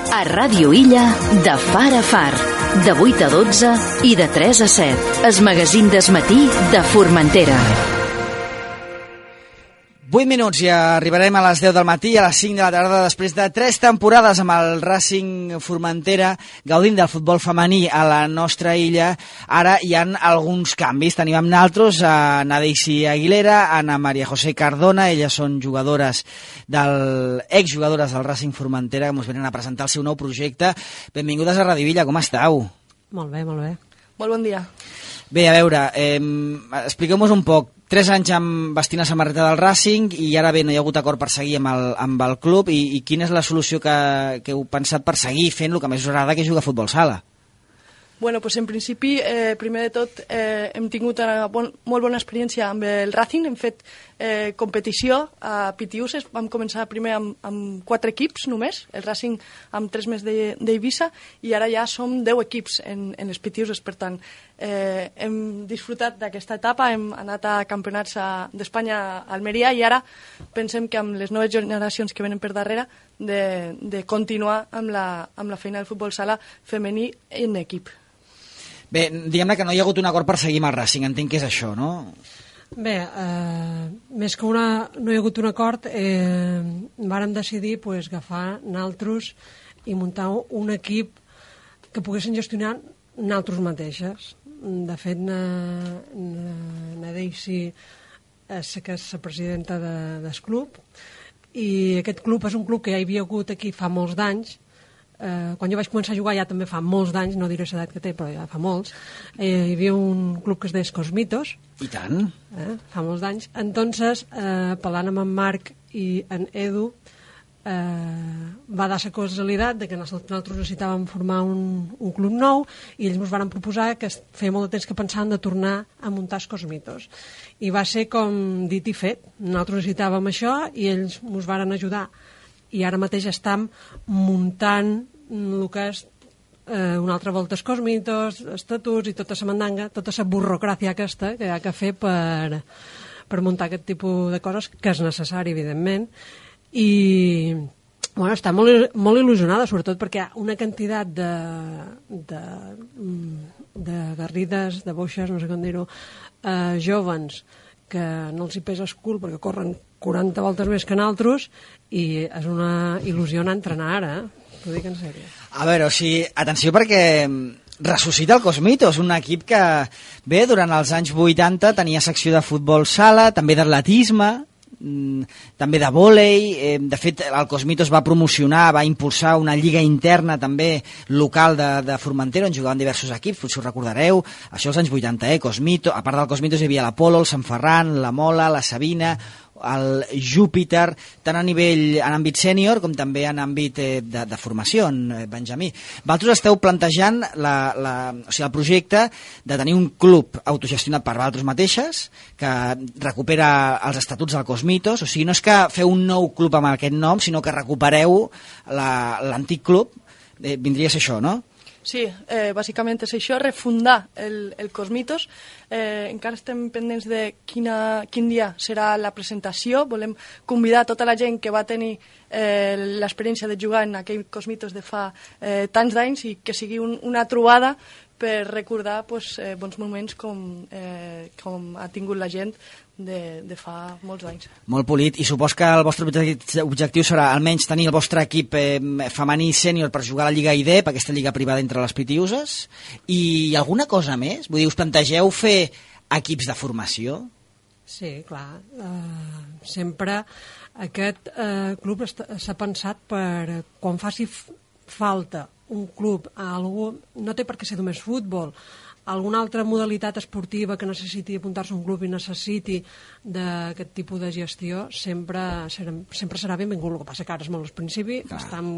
A Ràdio Illa, de far a far, de 8 a 12 i de 3 a 7. El magazín del matí de Formentera. 8 minuts i arribarem a les 10 del matí, a les 5 de la tarda, després de 3 temporades amb el Racing Formentera, gaudint del futbol femení a la nostra illa. Ara hi ha alguns canvis. Tenim amb nosaltres a Nadeixi Aguilera, Ana María José Cardona, elles són exjugadores del Racing Formentera, que ens venen a presentar el seu nou projecte. Benvingudes a Ràdio Illa, com esteu? Molt bé, molt bé. Molt bon dia. Bé, a veure, expliqueu-nos un poc. 3 anys amb vestint la samarreta del Racing i ara bé, no hi ha hagut acord per seguir amb el club i quina és la solució que heu pensat per seguir fent el que més us agrada, que és jugar a futbol sala? Bueno, pues en principi, primer de tot, hem tingut una molt bona experiència amb el Racing, hem fet competició a Pitiuses, vam començar primer amb 4 equips només, el Racing amb 3 més d'Eivissa, i ara ja som 10 equips en les Pitiuses, per tant, hem disfrutat d'aquesta etapa, hem anat a campionats d'Espanya a Almeria i ara pensem que amb les noves generacions que venen per darrere de continuar amb la feina del futbol sala femení en equip. Bé, diguem-ne que no hi ha hagut un acord per seguir amb el Racing, entenc que és això, no? Bé, més que no hi ha hagut un acord, vàrem decidir agafar naltros i muntar un equip que poguessin gestionar naltros mateixes. De fet, Nadeixi és la presidenta del club, i aquest club és un club que ja hi havia hagut aquí fa molts d'anys. Quan jo vaig començar a jugar ja també fa molts d'anys, no diré l'edat que té, però ja fa molts, hi havia un club que es deia Cosmitos. I tant. Fa molts d'anys. Entonces, parlant amb en Marc i en Edu, va dar la casualitat de que nosaltres necessitàvem formar un club nou i ells ens van proposar que feia molt de temps que pensaven de tornar a muntar els Cosmitos. I va ser com dit i fet. Nosaltres necessitàvem això i ells ens van ajudar. I ara mateix estem muntant el que és una altra volta els Cosmitos, estatuts i tota la mandanga, tota la burocràcia aquesta que hi ha que fer per muntar aquest tipus de coses, que és necessari, evidentment. I bueno, està molt il·lusionada, sobretot perquè hi ha una quantitat de garrides, de boixes, no sé com dir-ho, jovens, que no els hi pesa el cul perquè corren 40 voltes més que nosaltres, i és una il·lusió anar a entrenar ara, t'ho dic en sèrio. A veure, o sigui, atenció perquè ressuscita el Cosmitos, un equip que, bé, durant els anys 80 tenia secció de futbol sala, també d'atletisme, també de vòlei. De fet, el Cosmitos va promocionar, va impulsar una lliga interna també local de Formentera, on jugaven diversos equips, potser ho recordareu, això als anys 80, Cosmitos. A part del Cosmitos hi havia l'Apolo, el Sant Ferran, la Mola, la Sabina, el Júpiter, tant a nivell en àmbit sènior com també en àmbit de formació, en Benjamí. Vosaltres esteu plantejant o sigui, el projecte de tenir un club autogestionat per vosaltres mateixes, que recupera els estatuts del Cosmitos, o sigui, no és que feu un nou club amb aquest nom, sinó que recupereu l'antic club, vindria a ser això, no? Sí, bàsicament és això, refundar el Cosmitos. Encara estem pendents de quin dia serà la presentació. Volem convidar tota la gent que va tenir l'experiència de jugar en aquell Cosmitos de fa tants d'anys i que sigui una trobada per recordar bons moments com ha tingut la gent de fa molts anys. Molt polit, i supos que el vostre objectiu serà almenys tenir el vostre equip femení sènior per jugar a la Lliga IDEP, aquesta lliga privada entre les Pitiuses, i alguna cosa més? Vull dir, us plantegeu fer equips de formació? Sí, clar. Sempre aquest club s'ha pensat per quan faci falta un club a algú, no té per què ser només futbol, alguna altra modalitat esportiva que necessiti apuntar-se a un club i necessiti d'aquest tipus de gestió, sempre serà benvingut. El que passa que ara és molt al principi, estem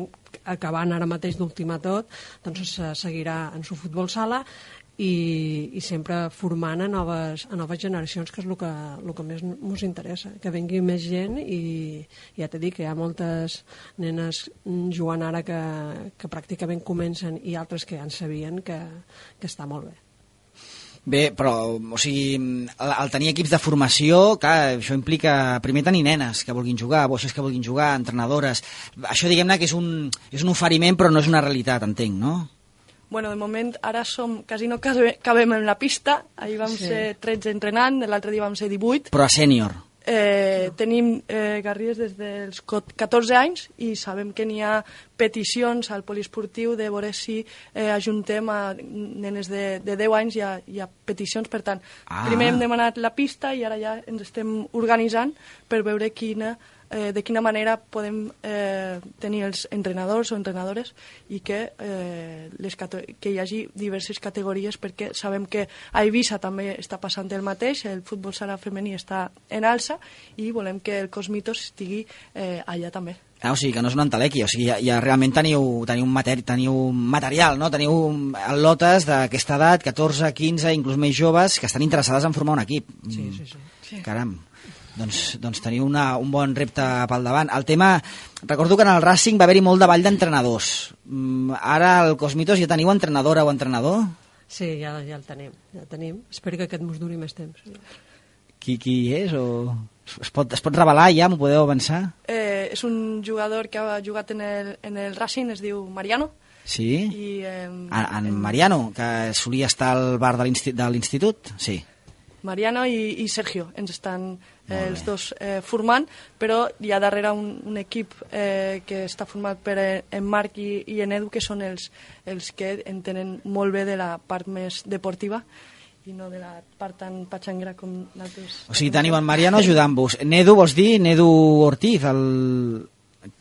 acabant ara mateix d'ultimar tot, doncs seguirà en su futbol sala i sempre formant a noves generacions, que és el que més ens interessa, que vengui més gent. I ja t'he dit que hi ha moltes nenes jugant ara que pràcticament comencen, i altres que ja en sabien, que està molt bé. Bé, però, o sigui, el tenir equips de formació, clar, això implica primer tenir nenes que vulguin jugar, boixes que vulguin jugar, entrenadores. Això, diguem-ne, que és un oferiment, però no és una realitat, entenc, no? Bueno, de moment, ara quasi no cabem en la pista. Ahir vam ser 13 entrenant, l'altre dia vam ser 18. Però a sènior. Tenim Garrigues des dels 14 anys i sabem que n'hi ha peticions al poliesportiu de veure si ajuntem a nenes de 10 anys, hi ha peticions, per tant, primer hem demanat la pista i ara ja ens estem organitzant per veure de quina manera podem tenir els entrenadors o entrenadores i que hi hagi diverses categories, perquè sabem que a Eivissa també està passant el mateix, el futbol sala femení està en alça i volem que el Cosmitos estigui allà també. O sigui, que no és una entelequia, o sigui, ja realment teniu material, no? Teniu al·lotes d'aquesta edat, 14, 15, inclús més joves, que estan interessades en formar un equip. Sí. Caram. Doncs teniu un bon repte pel davant. El tema, recordo que en el Racing va haver-hi molt de ball d'entrenadors. Ara al Cosmitos ja teniu entrenadora o entrenador? Sí, ja el tenim. Espero que aquest mos duri més temps. Qui és? Es pot revelar ja? M'ho podeu avançar? És un jugador que ha jugat en el Racing, es diu Mariano. Sí? I, en Mariano, que solia estar al bar de l'institut? Sí. Mariano i Sergio ens estan els dos formant, però hi ha darrere un equip que està format per en Marc i en Edu, que són els que entenen molt bé de la part més deportiva i no de la part tan patxangra com d'altres. O sigui, teniu en Mariano ajudant-vos. Nedu, vols dir? Nedu Ortiz?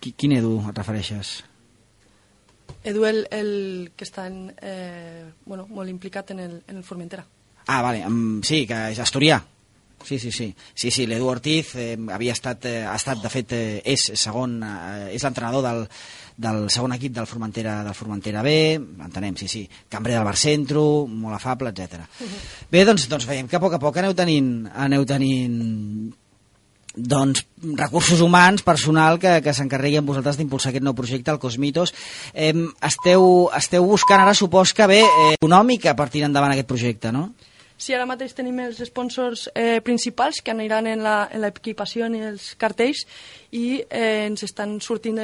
Quin Edu et refereixes? Edu, el que està molt implicat en el Formentera. Ah, vale, sí, que és asturià. Sí, l'Edu Ortiz ha estat, de fet, és l'entrenador del segon equip del Formentera B, entenem, sí, cambrer del Bar Centro, molt afable, etc. Bé, doncs veiem que a poc aneu tenint doncs, recursos humans, personal que s'encarregui amb vosaltres d'impulsar aquest nou projecte, el Cosmitos. Esteu buscant ara, supos que econòmica per tirar endavant aquest projecte, no? Sí, ara mateix tenim els sponsors principals que aniran en l'equipació i els cartells i ens estan sortint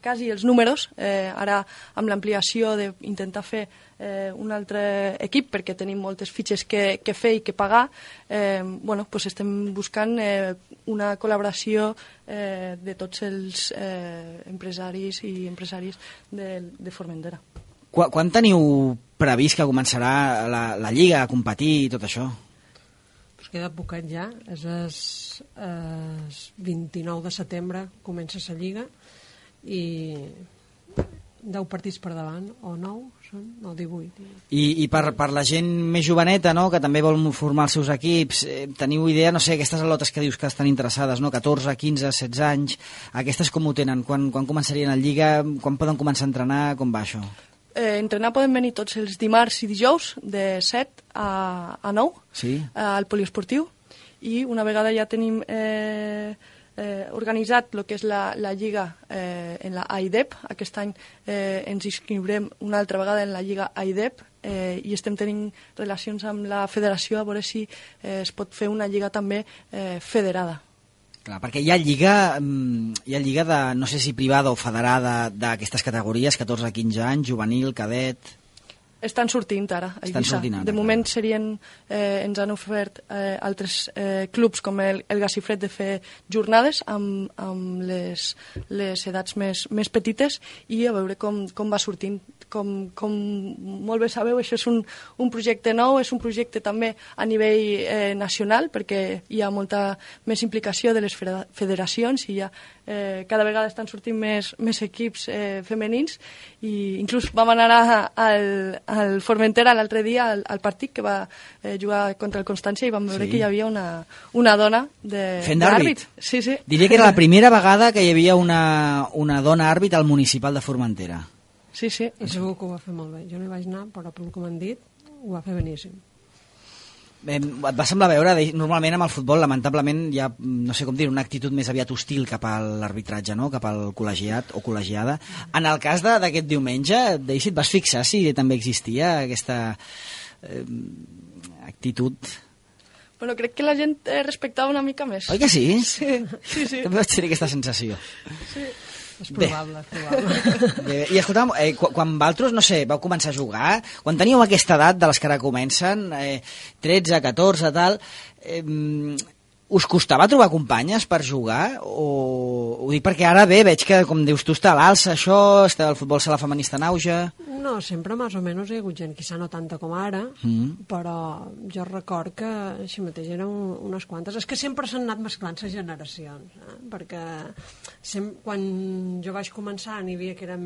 quasi els números. Ara, amb l'ampliació d'intentar fer un altre equip, perquè tenim moltes fitxes que fer i que pagar, estem buscant una col·laboració de tots els empresaris i empresàries de Formentera. Quan teniu previst que començarà la Lliga a competir i tot això? Pues queda poquet ja. És el 29 de setembre comença la Lliga i 10 partits per davant, o 9 són, no, 18. I per la gent més joveneta, no?, que també vol formar els seus equips, teniu idea, no sé, aquestes al·lotes que dius que estan interessades, no?, 14, 15, 16 anys, aquestes com ho tenen? Quan començarien a Lliga? Quan poden començar a entrenar? Com va això? Entrenar poden venir tots els dimarts i dijous de 7 a 9 sí? Al poliesportiu, i una vegada ja tenim organitzat el que és la Lliga en la AIDEP. Aquest any ens inscriurem una altra vegada en la Lliga AIDEP i estem tenint relacions amb la federació a veure si es pot fer una lliga també federada. Clar, perquè hi ha lliga de, no sé si privada o federada, d'aquestes categories, 14 a 15 anys, juvenil, cadet... Estan sortint ara, a Eivissa. De moment ens han ofert altres clubs com el Gassifred de fer jornades amb les edats més petites i a veure com va sortint. Com molt bé sabeu, això és un projecte nou, és un projecte també a nivell nacional, perquè hi ha molta més implicació de les federacions i cada vegada estan sortint més equips femenins, i inclús vam anar al Formentera l'altre dia al partit que va jugar contra el Constància i vam veure que hi havia una dona d'àrbit. Sí. Diria que era la primera vegada que hi havia una dona àrbit al municipal de Formentera. Sí. I segur que ho va fer molt bé. Jo no hi vaig anar, però pel que m'han dit, ho va fer beníssim. Et va semblar veure, normalment amb el futbol, lamentablement, hi ha, no sé com dir, una actitud més aviat hostil cap a l'arbitratge, no?, cap al col·legiat o col·legiada. En el cas d'aquest diumenge, Daisy, et vas fixar si també existia aquesta actitud... Bueno, crec que la gent respectava una mica més. Oi que sí? Sí. També vaig tenir aquesta sensació. Sí. És probable, és probable. Bé, i escolta'm, quan vosaltres, no sé, vau començar a jugar, quan teníeu aquesta edat de les que ara comencen, 13, 14, tal, us costava trobar companyes per jugar? Ho dic perquè ara bé, veig que, com dius tu, està a l'alça això, està el futbol sala femení està en auge... No, sempre més o menys hi ha hagut gent, quizà no tanta com ara, però jo record que així mateix eren unes quantes. És que sempre s'han anat mesclant les generacions, perquè quan jo vaig començar n'hi havia que eren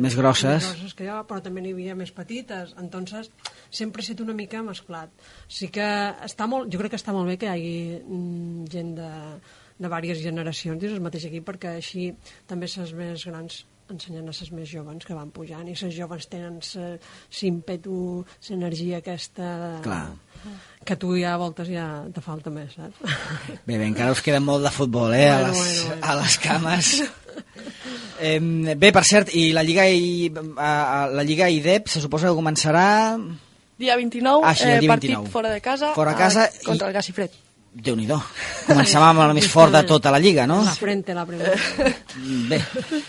més grosses que jo, però també n'hi havia més petites, entonces sempre ha estat una mica mesclat. Sí que jo crec que està molt bé que hi hagi gent de diverses generacions dins el mateix equip, perquè així també les més grans ensenyant a les més joves que van pujant, i les joves tenen l'ímpetu, l'energia aquesta... Clar. Que tu ja a voltes ja te falta més, saps? Bé, encara us queda molt de futbol, bueno. A les cames. Bé, per cert, i la Lliga IDEP se suposa que començarà... Dia 29, dia 29. Partit fora de casa, contra el Gasifred. Déu-n'hi-do. Començàvem amb el més fort de tota la Lliga, no? La primera. Bé,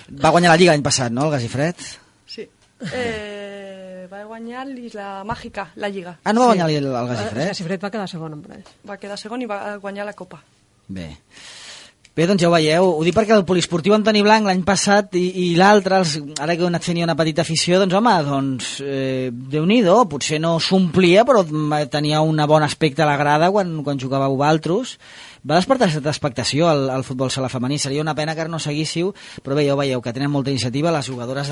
va guanyar la Lliga l'any passat, no, el Gasifred? Sí. Va guanyar l'Isla Màgica, la Lliga. Ah, no va guanyar el Gasifred? El Gasifred va quedar segon, en pareix. Va quedar segon i va guanyar la Copa. Bé, doncs ja ho veieu. Ho dic perquè el poliesportiu Antoni Blanc l'any passat i l'altre, ara que heu anat fent una petita afició, doncs home, Déu-n'hi-do, potser no s'omplia, però tenia un bon aspecte a la grada quan jugàveu vosaltres. Va despertar certa expectació al futbol sala femení. Seria una pena que no seguíssiu, però bé, ja ho veieu, que tenen molta iniciativa les jugadores,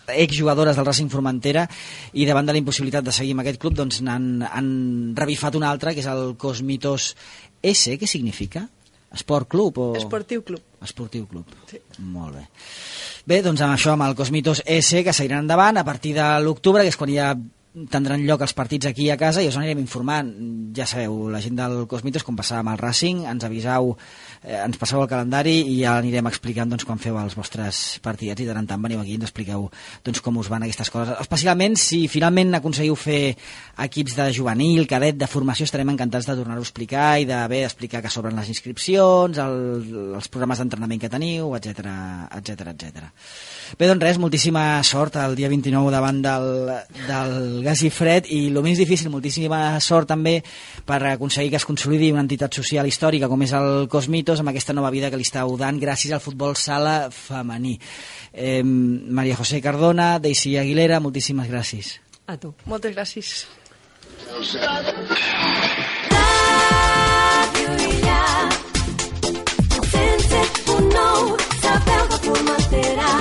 exjugadores del Racing Formentera, i davant de la impossibilitat de seguir amb aquest club, doncs han revifat un altre, que és el Cosmitos S. Què significa? Esport club o... Esportiu club. Esportiu club. Sí. Molt bé. Bé, doncs amb això, amb el Cosmitos S, que seguiran endavant a partir de l'octubre, que és quan ja tindran lloc els partits aquí a casa, i us anirem informant. Ja sabeu, la gent del Cosmitos, com passava amb el Racing, ens avisau, ens passeu el calendari i ja anirem explicant doncs, quan feu els vostres partidets, i de tant veniu aquí i ens expliqueu doncs, com us van aquestes coses. Especialment si finalment aconseguiu fer equips de juvenil, cadet, de formació, estarem encantats de tornar-ho a explicar i d'explicar que s'obren les inscripcions, els programes d'entrenament que teniu, etc. Bé, doncs res, moltíssima sort el dia 29 davant del Gasifred, i el més difícil, moltíssima sort també per aconseguir que es consolidi una entitat social històrica com és el Cosmitos, amb aquesta nova vida que li estàu dant gràcies al futbol sala femení. Maria José Cardona, Daisy Aguilera, moltíssimes gràcies. A tu. Moltes gràcies. Sense un nou, sabeu que Formentera